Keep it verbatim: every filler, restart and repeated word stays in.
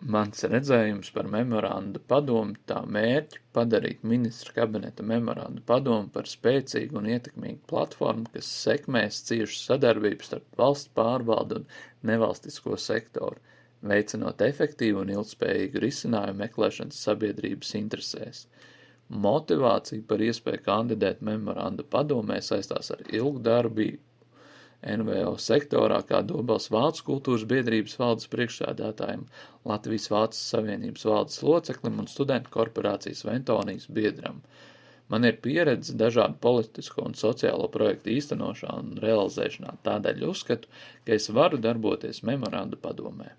Mans redzējums par memoranda padomi tā mērķi padarīt ministru kabineta memoranda padomi par spēcīgu un ietekmīgu platformu, kas sekmēs ciešu sadarbību starp valsts pārvaldu un nevalstisko sektoru, veicinot efektīvu un ilgspējīgu risinājumu meklēšanas sabiedrības interesēs. Motivācija par iespēju kandidēt memoranda padomē saistās ar ilgu darbību N V O sektorā kā Dobels Vācu kultūras biedrības valdes priekšsēdētājiem, Latvijas Vācu Savienības valdes loceklim un studentu korporācijas Ventonijas biedram. Man ir pieredze dažādu politisko un sociālo projektu īstenošanā un realizēšanā, tādēļ uzskatu, ka es varu darboties memoranda padomē.